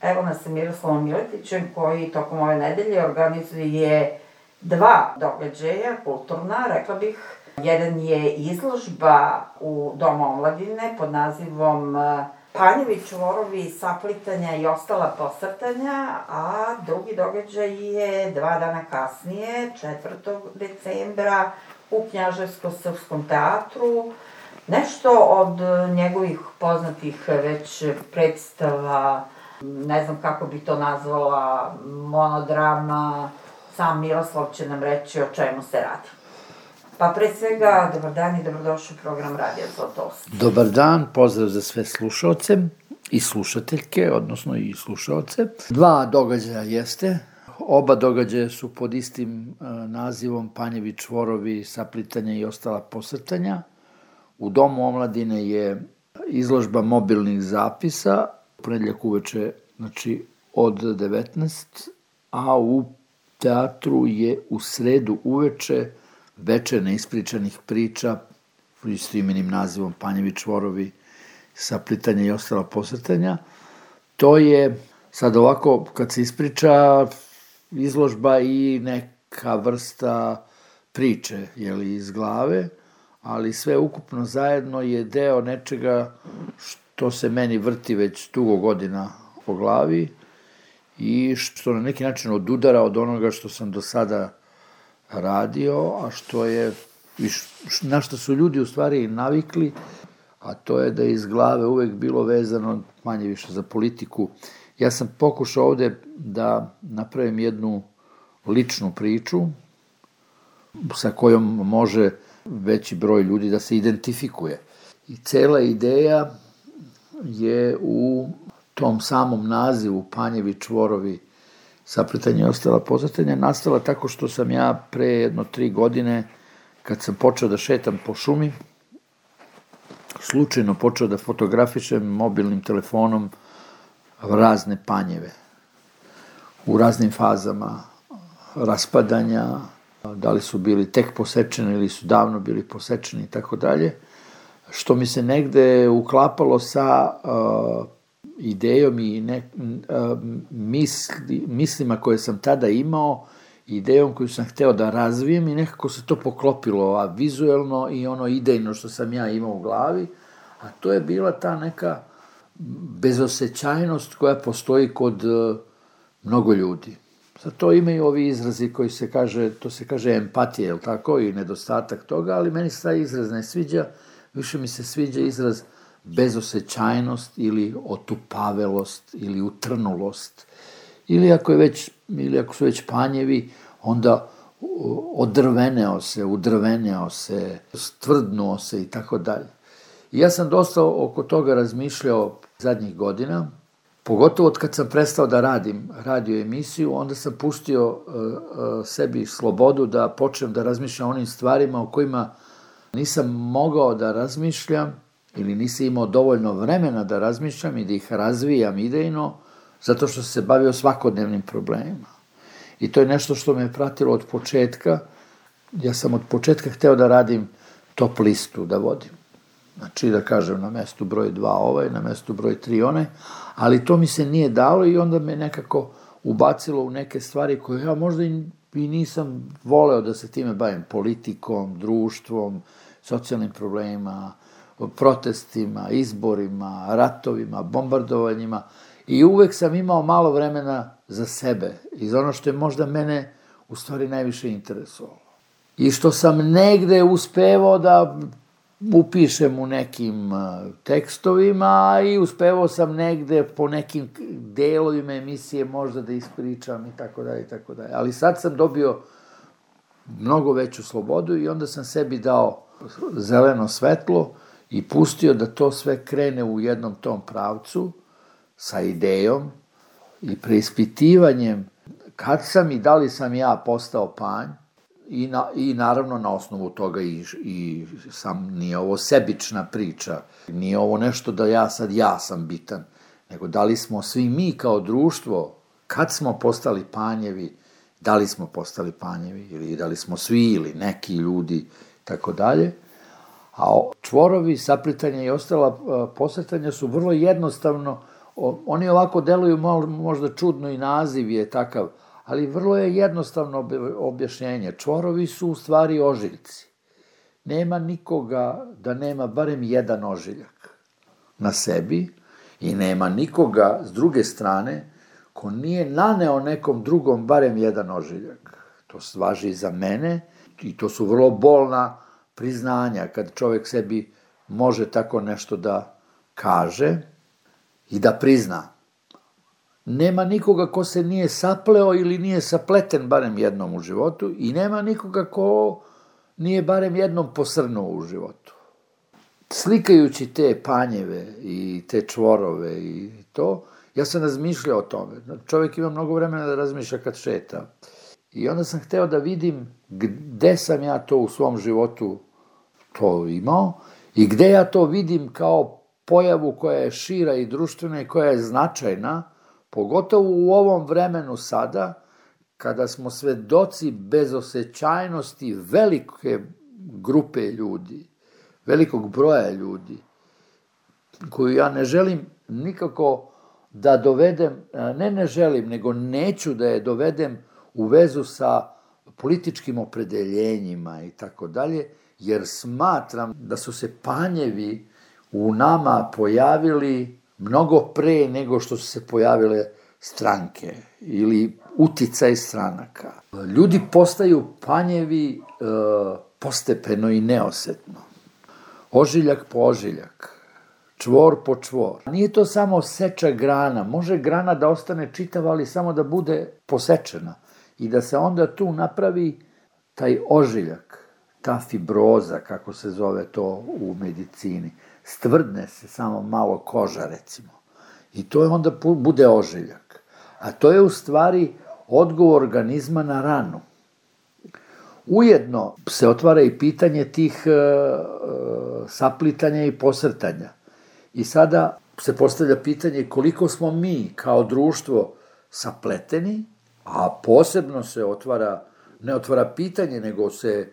Evo nas sa Miroslavom Miletićem koji tokom ove nedelje organizuje 2 događaja kulturna, rekla bih. Jedan je izložba u Domu omladine pod nazivom Panjevi čvorovi, saplitanja i ostala posrtanja, a drugi događaj je 2 dana kasnije, 4. decembra, u Knjaževsko-srpskom teatru. Nešto od njegovih poznatih već predstava, ne znam kako bi to nazvala, monodrama, sam Miroslav će nam reći o čemu se radi. Pa pre svega, dobar dan i dobrodošli u program Radija Zlatost. Dobar dan, pozdrav za sve slušaoce i slušateljke, odnosno i slušaoce. 2 događaja jeste. Oba događaja su pod istim nazivom Panjevi čvorovi, saplitanja i ostala posrtanja. U Domu omladine je izložba mobilnih zapisa, u ponedjeljak uveče, znači od 19, a u teatru je u sredu uveče veče neispričanih priča s imenim nazivom Panjevi čvorovi, saplitanja i ostala posrtanja. To je sad ovako, kad se ispriča, izložba i neka vrsta priče, iz glave, ali sve ukupno zajedno je deo nečega što se meni vrti već dugo godina po glavi i što na neki način odudara od onoga što sam do sada radio, a što je, na što su ljudi u stvari navikli, a to je da je iz glave uvek bilo vezano manje više za politiku. Ja sam pokušao ovde da napravim jednu ličnu priču sa kojom može veći broj ljudi da se identifikuje. I cela ideja je u tom samom nazivu Panjevi čvorovi, saplitanja i ostala posrtanja, nastala tako što sam ja pre jedno 3 godine, kad sam počeo da šetam po šumi, slučajno počeo da fotografišem mobilnim telefonom razne panjeve u raznim fazama raspadanja, da li su bili tek posečeni ili su davno bili posečeni i tako dalje, što mi se negde uklapalo sa idejom i mislima koje sam tada imao, idejom koju sam hteo da razvijem i nekako se to poklopilo, vizuelno i ono idejno što sam ja imao u glavi, a to je bila ta neka bezosećajnost koja postoji kod mnogo ljudi. Za to imaju ovi izrazi koji se kaže, to se kaže empatija, je li tako, i nedostatak toga, ali meni se taj izraz ne sviđa, više mi se sviđa izraz bezosećajnost ili otupavelost ili utrnulost. Ili ako su već panjevi, onda odrveneo se, udrveneo se, stvrdnuo se i tako dalje. I ja sam dosta oko toga razmišljao zadnjih godina, pogotovo od kad sam prestao da radim radio emisiju, onda sam pustio sebi slobodu da počnem da razmišljam o onim stvarima o kojima nisam mogao da razmišljam ili nisam imao dovoljno vremena da razmišljam i da ih razvijam idejno, zato što sam se bavio svakodnevnim problemima. I to je nešto što me je pratilo od početka. Ja sam od početka hteo da radim top listu, da vodim. Znači da kažem na mestu broj 2 ovaj, na mestu broj 3 onaj, ali to mi se nije dalo i onda me nekako ubacilo u neke stvari koje ja možda i nisam voleo da se time bavim, politikom, društvom, socijalnim problemima, protestima, izborima, ratovima, bombardovanjima i uvek sam imao malo vremena za sebe i za ono što je možda mene u stvari najviše interesovalo. I što sam negde uspevao da upišem u nekim tekstovima i uspevao sam negde po nekim delovima emisije možda da ispričam i tako dalje i tako dalje. Ali sad sam dobio mnogo veću slobodu i onda sam sebi dao zeleno svetlo i pustio da to sve krene u jednom tom pravcu sa idejom i preispitivanjem kad sam i da li sam ja postao panj i naravno na osnovu toga i sam, nije ovo sebična priča, nije ovo nešto da ja sam bitan, nego da li smo svi mi kao društvo, kad smo postali panjevi, da li smo postali panjevi ili da li smo svi ili neki ljudi, tako dalje. A čvorovi, saplitanja i ostala posrtanja su vrlo jednostavno Oni ovako deluju možda čudno i naziv je takav, ali vrlo je jednostavno objašnjenje. Čvorovi su u stvari ožiljci. Nema nikoga da nema barem jedan ožiljak na sebi i nema nikoga s druge strane ko nije naneo nekom drugom barem jedan ožiljak. To važi i za mene i to su vrlo bolna priznanja kad čovjek sebi može tako nešto da kaže i da prizna. Nema nikoga ko se nije sapleo ili nije sapleten barem jednom u životu i nema nikoga ko nije barem jednom posrnuo u životu. Slikajući te panjeve i te čvorove i to, ja sam razmišljao o tome. Čovjek ima mnogo vremena da razmišlja kad šeta. I onda sam hteo da vidim gde sam ja to u svom životu to imao i gde ja to vidim kao pojavu koja je šira i društvena i koja je značajna, pogotovo u ovom vremenu sada, kada smo svedoci bezosećajnosti velike grupe ljudi, velikog broja ljudi, koju ja ne želim nikako da dovedem, ne želim, nego neću da je dovedem u vezu sa političkim opredeljenjima i tako dalje, jer smatram da su se panjevi u nama pojavili mnogo pre nego što su se pojavile stranke ili uticaj stranaka. Ljudi postaju panjevi postepeno i neosetno. Ožiljak po ožiljak, čvor po čvor. Nije to samo seča grana, može grana da ostane čitava, ali samo da bude posečena i da se onda tu napravi taj ožiljak, ta fibroza, kako se zove to u medicini. Stvrdne se samo malo koža, recimo. I to je onda bude ožiljak. A to je u stvari odgovor organizma na ranu. Ujedno se otvara i pitanje tih saplitanja i posrtanja. I sada se postavlja pitanje koliko smo mi kao društvo sapleteni, a posebno se ne otvara pitanje, nego se,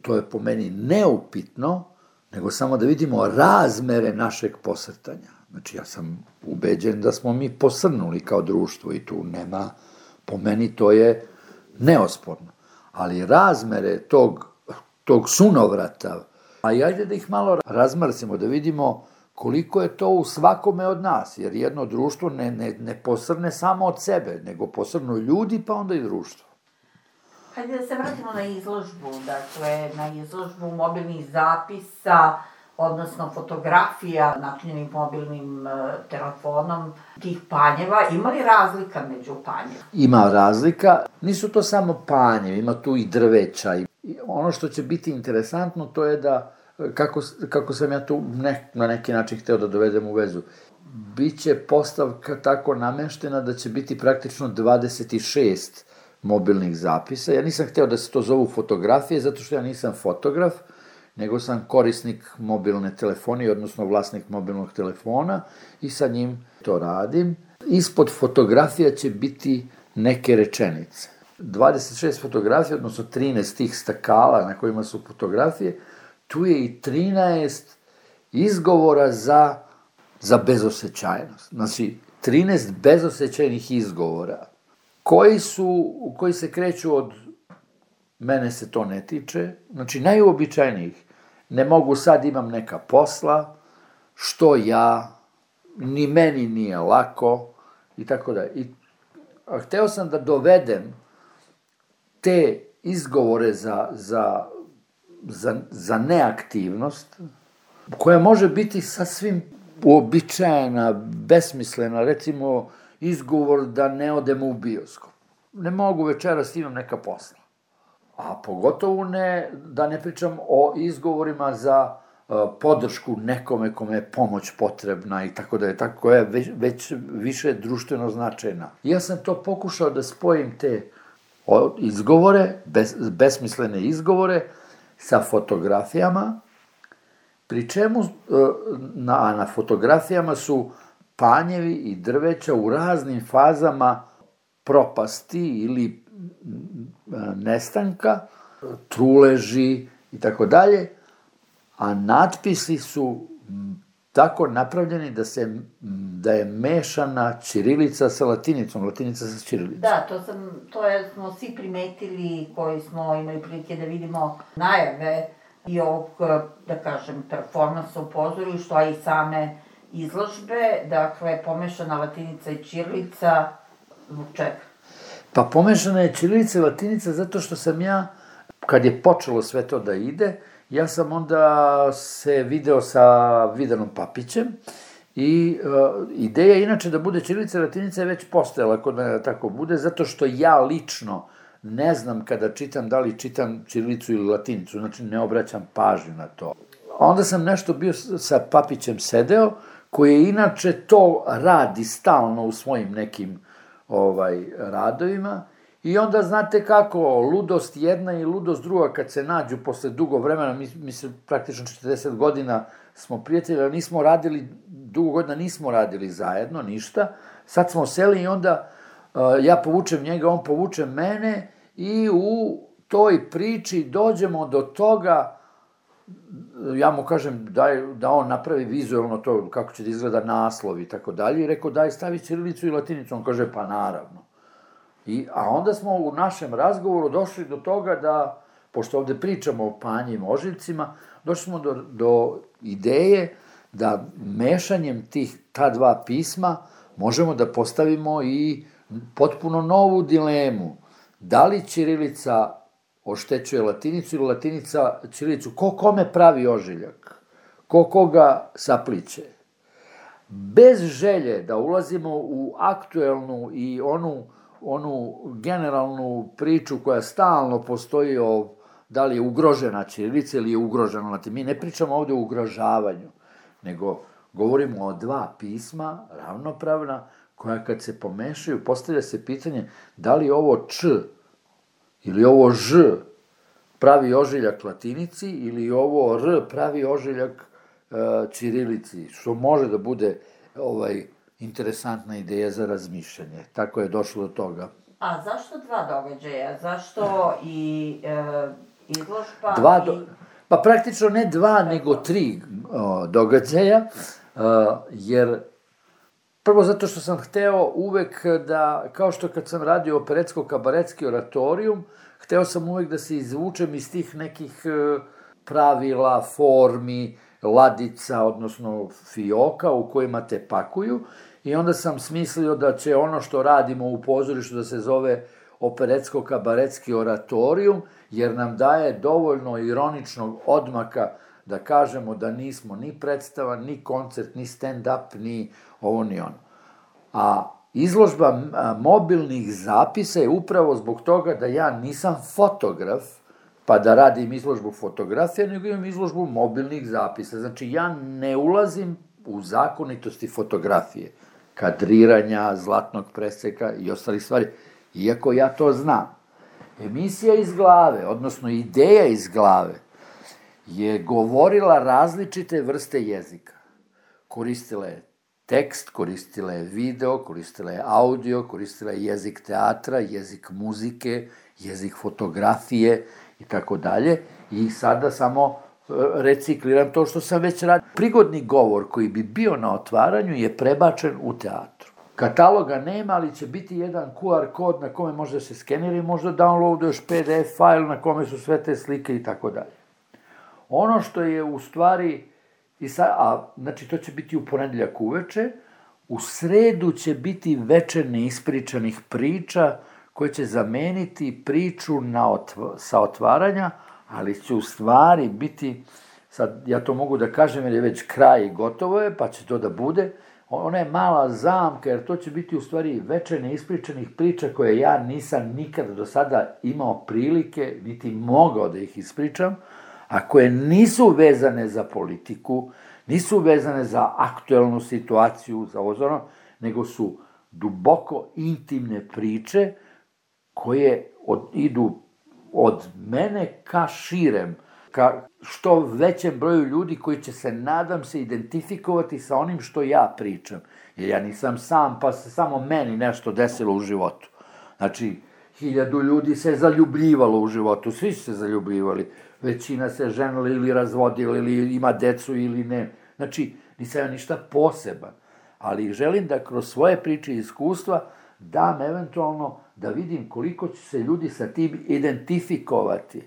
to je po meni neupitno, nego samo da vidimo razmere našeg posrtanja. Znači, ja sam ubeđen da smo mi posrnuli kao društvo i tu nema, po meni to je neosporno. Ali razmere tog sunovrata, a i ajde da ih malo razmrsimo, da vidimo koliko je to u svakome od nas, jer jedno društvo ne posrne samo od sebe, nego posrnu ljudi, pa onda i društvo. Hajde da se vratimo na izložbu, dakle, na izložbu mobilnih zapisa, odnosno fotografija načinjenim mobilnim telefonom tih panjeva. Ima li razlika među panjeva? Ima razlika. Nisu to samo panjevi, ima tu i drveća. I ono što će biti interesantno to je da, kako sam ja tu na neki način hteo da dovedem u vezu, biće postavka tako nameštena da će biti praktično 26 mobilnih zapisa. Ja nisam hteo da se to zovu fotografije, zato što ja nisam fotograf, nego sam korisnik mobilne telefonije, odnosno vlasnik mobilnog telefona i sa njim to radim. Ispod fotografija će biti neke rečenice. 26 fotografija, odnosno 13 tih stakala na kojima su fotografije, tu je i 13 izgovora za bezosećajnost. Znači, 13 bezosećajnih izgovora koji se kreću od mene se to ne tiče, znači najuobičajnijih. Ne mogu sad, imam neka posla, što ja, ni meni nije lako, i tako da. Hteo sam da dovedem te izgovore za neaktivnost, koja može biti sasvim uobičajena, besmislena, recimo izgovor da ne odem u bioskop. Ne mogu večeras, imam neka posla. A pogotovo da ne pričam o izgovorima za podršku nekome kome je pomoć potrebna i tako da je tako, koja je već više društveno značajna. Ja sam to pokušao da spojim te izgovore, besmislene izgovore, sa fotografijama, pri čemu na fotografijama su panjevi i drveća u raznim fazama propasti ili nestanka, truleži i tako dalje, a natpisi su tako napravljeni da je mešana ćirilica sa latinicom, latinica sa ćirilicom. Da, to smo svi primetili koji smo imali prilike da vidimo najave i ovog, da kažem, performansa u pozorištu, a i same izložbe, dakle, pomešana latinica i ćirilica, zbog čega? Pa pomešana je ćirilica i latinica zato što sam ja, kad je počelo sve to da ide, ja sam onda se video sa Vidanom Papićem i ideja inače da bude ćirilica i latinica je već postojala kod mene da tako bude, zato što ja lično ne znam kada čitam da li čitam ćirilicu ili latinicu, znači ne obraćam pažnju na to. Onda sam nešto bio sa Papićem sedeo, koji je inače to radi stalno u svojim nekim radovima i onda znate kako, ludost jedna i ludost druga kad se nađu posle dugo vremena, mi se praktično 40 godina smo prijatelji, ali nismo radili, dugo godina nismo radili zajedno, ništa, sad smo seli i onda ja povučem njega, on povuče mene i u toj priči dođemo do toga, ja mu kažem da on napravi vizualno to, kako će da izgleda naslov i tako dalje, i rekao daj stavi ćirilicu i latinicu, on kaže pa naravno. A onda smo u našem razgovoru došli do toga da, pošto ovde pričamo o panjim ožiljcima, došli smo do ideje da mešanjem ta dva pisma možemo da postavimo i potpuno novu dilemu. Da li ćirilica oštećuje latinicu ili latinica ćirilicu? Ko kome pravi ožiljak? Ko koga sapliće? Bez želje da ulazimo u aktuelnu i onu generalnu priču koja stalno postoji o da li je ugrožena ćirilica ili je ugrožena latinica. Mi ne pričamo ovde o ugrožavanju, nego govorimo o dva pisma, ravnopravna, koja kad se pomešaju, postavlja se pitanje da li ovo č ili ovo ž pravi ožiljak latinici ili ovo r pravi ožiljak ćirilici, što može da bude interesantna ideja za razmišljanje. Tako je došlo do toga. A zašto dva događaja? Zašto i izložba Pa praktično ne dva, nego tri događaja, jer prvo zato što sam hteo uvek da, kao što kad sam radio operetsko-kabaretski oratorijum, hteo sam uvek da se izvučem iz tih nekih pravila, formi, ladica, odnosno fioka u kojima te pakuju, i onda sam smislio da će ono što radimo u pozorištu da se zove operetsko-kabaretski oratorijum, jer nam daje dovoljno ironičnog odmaka da kažemo da nismo ni predstava, ni koncert, ni stand-up, ni ovo, ni ono. A izložba mobilnih zapisa je upravo zbog toga da ja nisam fotograf, pa da radim izložbu fotografija, nego imam izložbu mobilnih zapisa. Znači, ja ne ulazim u zakonitosti fotografije, kadriranja, zlatnog preseka i ostalih stvari, iako ja to znam. Emisija iz glave, odnosno ideja iz glave, je govorila različite vrste jezika. Koristila je tekst, koristila je video, koristila je audio, koristila je jezik teatra, jezik muzike, jezik fotografije i tako dalje. I sada samo recikliram to što sam već radio. Prigodni govor koji bi bio na otvaranju je prebačen u teatru. Kataloga nema, ali će biti jedan QR kod na kome može da se skenira i možda downloaduješ PDF file na kome su sve te slike i tako dalje. Ono što je u stvari, znači to će biti u ponedeljak uveče, u sredu će biti veče neispričanih priča koje će zameniti priču sa otvaranja, ali će u stvari biti, sad ja to mogu da kažem jer je već kraj i gotovo je, pa će to da bude, ona je mala zamka, jer to će biti u stvari veče neispričanih priča koje ja nisam nikada do sada imao prilike, niti mogao da ih ispričam, a koje nisu vezane za politiku, nisu vezane za aktuelnu situaciju, za ozorno, nego su duboko intimne priče koje idu od mene ka širem, ka što većem broju ljudi koji će se, nadam se, identifikovati sa onim što ja pričam. Jer ja nisam sam, pa se samo meni nešto desilo u životu. Znači, 1000 ljudi se zaljubljivalo u životu, svi su se zaljubljivali. Većina se ženila ili razvodila, ili ima decu ili ne. Znači, nisam ja ništa poseban, ali želim da kroz svoje priče i iskustva dam eventualno da vidim koliko će se ljudi sa tim identifikovati.